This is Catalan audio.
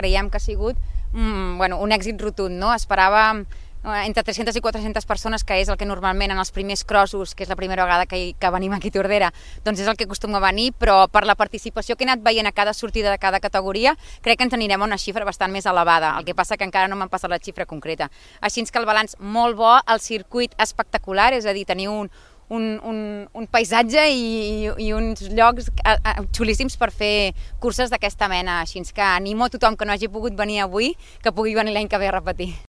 creiem que ha sigut un èxit rotund, no? Esperàvem entre 300 i 400 persones, que és el que normalment en els primers crossos, que és la primera vegada que venim aquí a Tordera, doncs és el que acostuma a venir, però per la participació que he anat veient a cada sortida de cada categoria, crec que ens anirem a una xifra bastant més elevada, el que passa que encara no m'han passat la xifra concreta. Així que el balanç molt bo, el circuit espectacular, és a dir, tenir un paisatge i uns llocs xulíssims per fer curses d'aquesta mena, així que animo a tothom que no hagi pogut venir avui, que pugui venir l'any que ve a repetir.